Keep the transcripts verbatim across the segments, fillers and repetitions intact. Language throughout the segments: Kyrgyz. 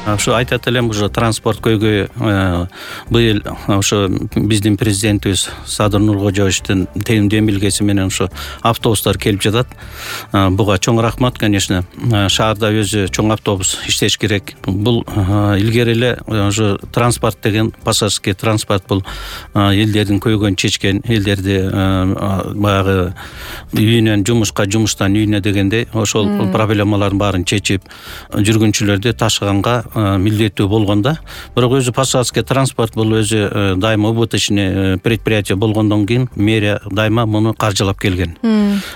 Ошо айтат элем, уже транспорт көйгөй быйыл ошо биздин президентибиз Садыр Нуркожоевичтин демилгеси менен ошо автобустар келип жатат. Буга чоң рахмат, конечно. Шаарда өзү чоң автобус иштеш керек. Бул илгери эле ошо транспорт деген, пассажирский транспорт бул элдердин көйгөйүн чечкен, элдерди баягы үйүнөн жумушка, жумуштан үйүнө дегендей ошол проблемалардын баарын чечип, жүргүнчүлөрдү ташыганга милдеттүү болгондо. Бирок өзү пассажирский транспорт бул өзү дайыма убыточный предприятие болгондон кийин мэрия дайыма муну каржылап келген.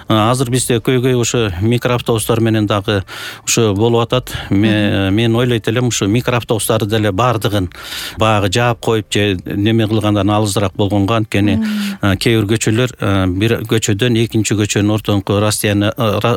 Азыр бизде көйгөй ошо микроавтобустар менен дагы ошо болуп атат. Мен ойлойт элем, ошо микроавтобустарды деле баардыгын баягы жаап коюп же неме кылгандан алысыраак болгонго, анткени кээ бир көчөлөр бир көчөдөн экинчи көчөнүн ортоңку расстояние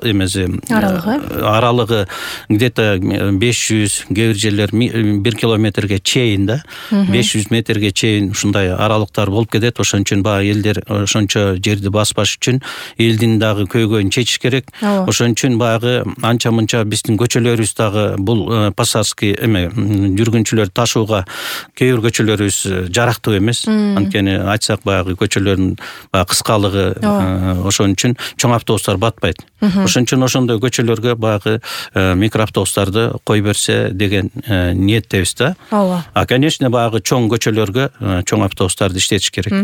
эмеси аралыгы где-то беш жүз, кээ бир жерлер бир километрге чейин да, беш жүз метрге чейин ушундай аралыктар болуп кетет. Ошон үчүн баягы элдер ошончо жерди баспаш үчүн элдин дагы көйгөйүн чечиш керек. Ошон үчүн баягы анча-мынча биздин көчөлөрүбүз дагы бул пассажирский эме жүргүнчүлөр ташууга кээ бир көчөлөрүбүз жарактуу эмес. Анткени айтсак баягы көчөлөрдүн баягы кыскалыгы, ошон үчүн чоң автобустар батпайт. Ошон үчүн ошондой көчөлөргө баягы микроавтобустарды кой берсе деген ниеттебиз да. А конечно баягы чоң көчөлөргө чоң автобустарды иштетиш керек.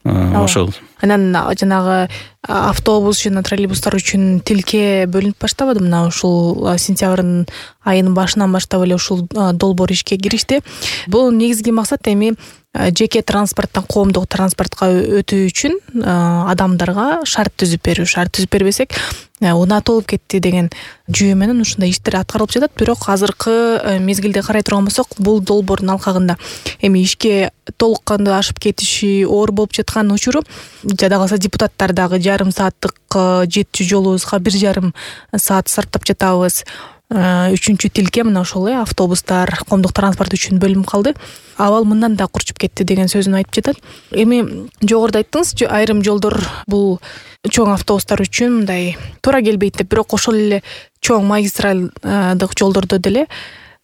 Ошол. Анан жанагы автобус жана троллейбустар үчүн тилке бөлүнүп баштабады. Мына ушул сентябрдын айынын башынан баштап эле ушул долбоор ишке киришти. Бул негизги максат эми жеке транспорттон коомдук транспортко өтүү үчүн адамдарга шарт түзүп берүү. Шарт түзүп бербесек унатылып кетти деген жүйө менен ушундай иштер аткарылып жатат. Бирок азыркы мезгилде карай турган болсок, бул долбоордун алкагында эми ишке толук кандуу ашып кетиши оор болуп жаткан учуру. Жада калса депутаттар дагы жарым сааттык жетчү жолубузга бир жарым саат сарптап жатабыз. Үчүнчү тилке мына ошол э автобустар, коомдук транспорт үчүн бөлүнүп калды. Абал мындан да курчуп кетти деген сөзүн айтып жатат. Эми жогоруда айттыңыз, айрым жолдор бул чоң автобустар үчүн мындай туура келбейт деп, бирок ошол эле чоң магистралдык жолдордо деле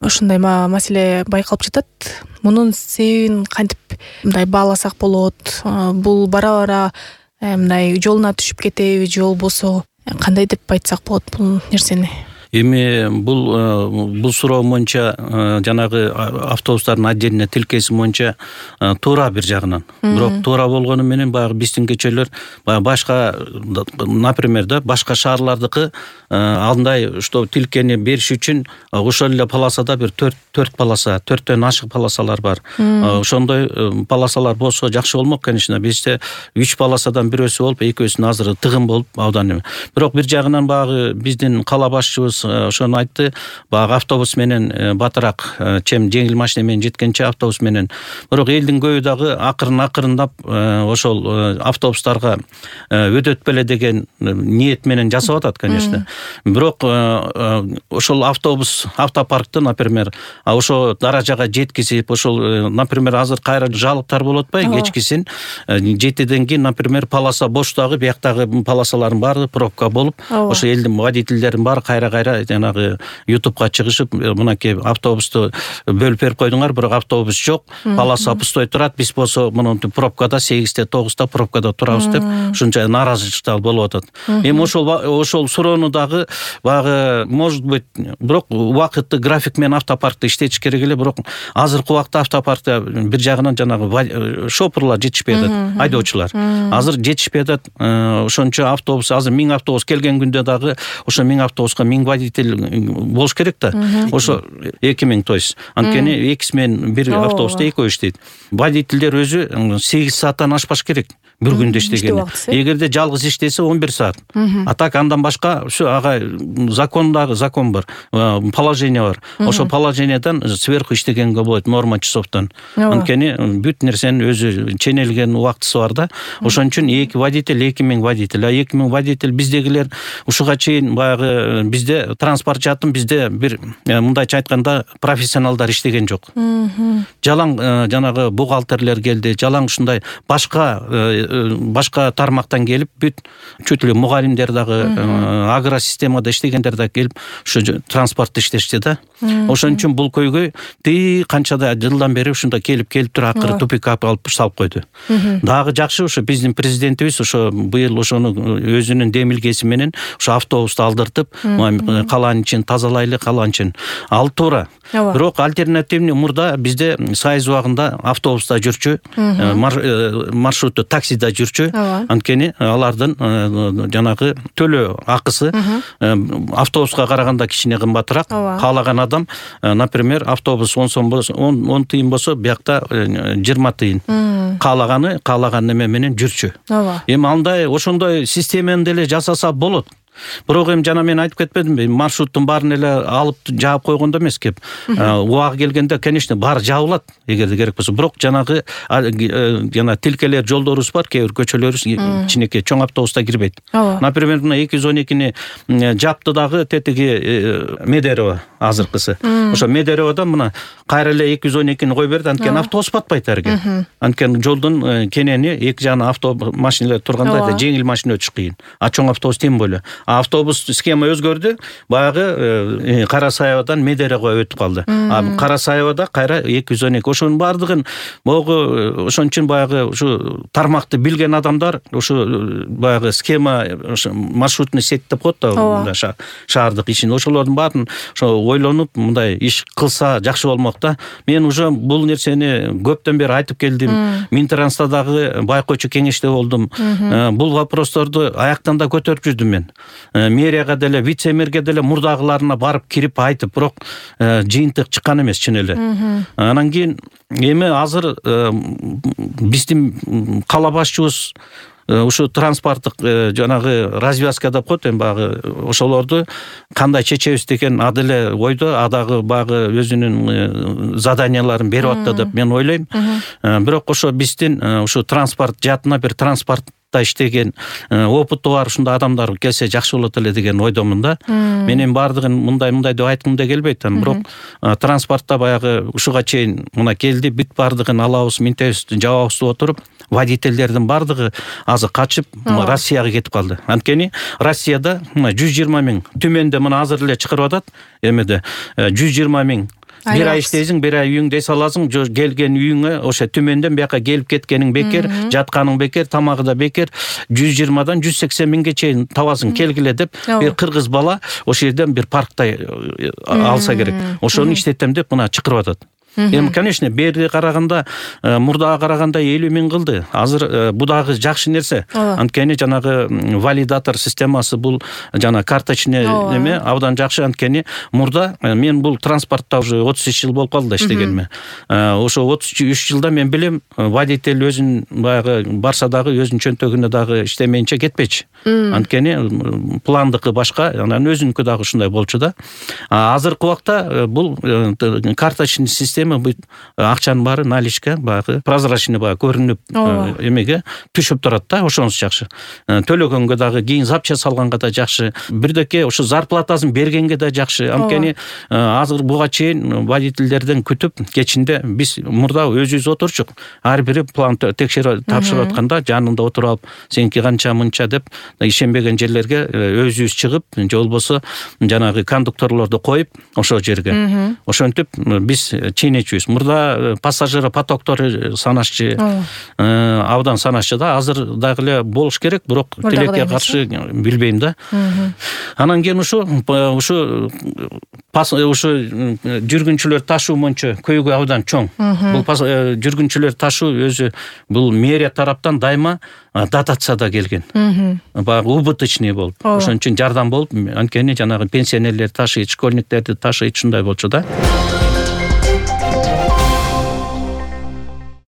ушундай маселе байкалып жатат. Мунун себебин кантип мындай бааласак болот? Бул бара-бара мындай жолуна түшүп кетеби же болбосо кандай деп айтсак болот бул нерсени? Эми бул бул суроо боюнча жанагы автобустардын отдельно тилкеси боюнча туура бир жагынан. Бирок туура болгону менен баягы биздин көчөлөр баягы башка, например да, башка шаарлардыкы андай что тилкени бериш үчүн ошол эле полосада бир төрт полоса, төрттөн ашык полосалар бар. Ошондой полосалар болсо жакшы болмок, конечно. Бизде үч полосадан бирөөсү болуп, экөөсүн азыр тыгын болуп абдан. Бирок бир жагынан баягы биздин кала башчыбыз ошону айтты. Баягы автобус менен батыраак, чем жеңил машина менен жеткенче автобус менен. Бирок элдин көбү дагы акырын-акырындап ошол автобустарга өтөт беле деген ниет менен жасап атат, конечно. Бирок ошол автобус автопаркты, например, ошо даражага жеткизип, ошол, например, азыр кайра жалыктар болуп атпайбы, кечкисин жетиден кийин, например, полоса боштагы, бияктагы полосалардын баары пробка болуп, ошо элдин водительдердин баары кайра-кайра жанагы ютубка чыгышып, мынакей автобусту бөлүп берип койдуңар, бирок автобус жок, полоса пустой турат, биз болсо муну пробкада сегизде тогузда пробкада турабыз деп ушунча нааразычылыктар болуп атат. Эми ошол ошол суроону дагы баягы, может быть, бирок убакытты график менен автопаркты иштетиш керек эле, бирок азыркы убакта автопаркта бир жагынан жанагы шопурлар жетишпей атат, айдоочулар. Азыр жетишпей атат. Ошончо автобус, азыр миң автобус келген күндө дагы ошо миң автобуска миң водитель болуш керек да. Ошо эки миң, то есть анткени экиси менен бир автобуста экөө иштейт. Водительдер өзү сегиз сааттан ашпаш керек бир күндө иштеген. Эгерде жалгыз иштесе он бир саат. А так андан башка ушу ага закондагы закон бар, положение бар. Ошо положениедан сверху иштегенге болот, норма часовтон. Анткени бүт нерсенин өзү ченелген убактысы бар да. Ошон үчүн эки водитель, эки миң водитель. А эки миң водитель биздегилер ушуга чейин баягы бизде транспорт жатын, бизде бир мындайча айтканда профессионалдар иштеген жок. Жалаң жанагы бухгалтерлер келди, жалаң ушундай башка башка тармактан келип бүт чөт эле мугалимдер дагы агросистемада иштегендер да келип ушу транспортто иштешти да. Ошон үчүн бул көйгөй тии канчада жылдан бери ушунда келип келип туруп акыры тупикка алып салып койду. Дагы жакшы ушу биздин президентибиз ошо быйыл ошону өзүнүн демилгеси менен ушу автобусту алдыртып, калаанын ичин тазалайлы, калаанын ичин ал туура. Бирок альтернативный мурда бизде Союз убагында автобуста жүрчү, маршрутту таксида жүрчү. Анткени алардын жанагы төлөө акысы автобуска караганда кичине кымбатыраак. Каалаган адам, например, автобус он сом болсо, он тыйын болсо, биякта жыйырма тыйын. Каалаганы каалаган неме менен жүрчү. Эми андай ошондой системаны деле жасаса болот. Бирок эми жана мен айтып кетпедимби, маршруттун баарын эле алып жаап койгондо эмес кеп. Убагы келгенде, конечно, баары жабылат, эгерде керек болсо. Бирок жанагы жана тилкелер жолдорубуз бар, кээ бир көчөлөрүбүз кичинекей, чоң автобуста кирбейт. Например, мына эки жүз он экини жапты дагы тетиги Медерево азыркысы. Ошо Медереводон мына кайра эле эки жүз он экини кой берди, анткени автобус батпайт арге. Анткени жолдун кенени эки жагына автобус машиналар турганда жеңил машина өтүш кыйын. А чоң автобус тем более. Автобус схема өзгөрдү. Баягы Кара Саябадан Медеревого өтүп калды. А Кара Саябада кайра эки жүз он эки. Ошонун баардыгын могу ошон үчүн баягы ушу тармакты билген адамдар ушу баягы схема маршрутный сеть деп коет да шаардык ишин. Ошолордун баарын ошо ойлонуп мындай иш кылса жакшы болмок да. Мен уже бул нерсени көптөн бери айтып келдим. Минтранста дагы байкоочу кеңеште болдум. Бул вопросторду аяктан да көтөрүп жүрдүм мен. Мэрияга деле, вице-мэрге деле мурдагыларына барып кирип айтып, бирок жыйынтык чыккан эмес чын эле. Анан кийин эми азыр биздин кала башчыбыз ушу транспорттук жанагы развязка деп коет, эми багы ошолорду кандай чечебиз деген а деле ойдо, адагы багы өзүнүн заданияларын берип атты деп мен ойлойм. Бирок ошо биздин ушу транспорт жаатына бир транспорт иштеген опыты бар ушундай адамдар келсе жакшы болот эле деген ойдомун да. Мен эми баардыгын мындай-мындай деп айткым да келбейт. Бирок транспортто баягы ушуга чейин мына келди, бүт баардыгын алабыз, минтебиз, жабабыз деп отуруп, водительдердин баардыгы азыр качып Россияга кетип калды. Анткени Россияда жүз жыйырма миң, төмөндө мына азыр эле чыгарып атат, эмеде жүз жыйырма миң бир ай иштейсиң, бир ай үйүңдө эс аласың, келген үйүңө ошо төмөндөн бияка келип кеткениң бекер, жатканың бекер, тамагы да бекер. жүз жыйырмадан жүз сексен миңге чейин табасың, келгиле деп бир кыргыз бала ошол жерден бир паркта алса керек. Ошону иштетем деп мына чакырып атат. Эми, конечно, берге караганда, мурдага караганда элүү миң кылды. Азыр бу дагы жакшы нерсе. Анткени жанагы валидатор системасы бул жана карточный неме абдан жакшы. Анткени мурда мен бул транспортто уже отуз үч жыл болуп калды иштегениме. Ошо отуз үч жылда мен билем, водитель өзүн баягы барса дагы өзүнүн чөнтөгүнө дагы иштемейинче кетпечи. Анткени пландыкы башка, анан өзүнүкү дагы ушундай болчу да. Азыркы убакта бул карточный система акчанын баары наличка, баягы прозрачный баягы көрүнүп эмеге түшүп турат да, ошонусу жакшы. Төлөгөнгө дагы, кийин запча салганга да жакшы. Бирдеке ушу зарплатасын бергенге да жакшы. Анткени азыр буга чейин водительдерден күтүп кечинде биз мурда өзүбүз отурчук. Ар бири план текшерип тапшырып атканда жанында отуруп алып, сеники канча мынча деп ишенбеген жерлерге өзүбүз чыгып, же болбосо жанагы кондукторлорду коюп ошол жерге. Ошентип биз чейнечүбүз. Мурда пассажир потоктору санашчы, абдан санашчы да. Азыр дагы эле болуш керек, бирок тилекке каршы билбейм да. Анан кийин ушу ушу ушу жүргүнчүлөр ташуу боюнча көйгөй абдан чоң. Бул жүргүнчүлөр ташуу өзү бул мэрия тараптан дайыма дотацияда келген. Баягы убыточный болуп, ошон үчүн жардам болуп, анткени жанагы пенсионерлерди ташыйт, школьниктерди ташыйт, ушундай болчу да.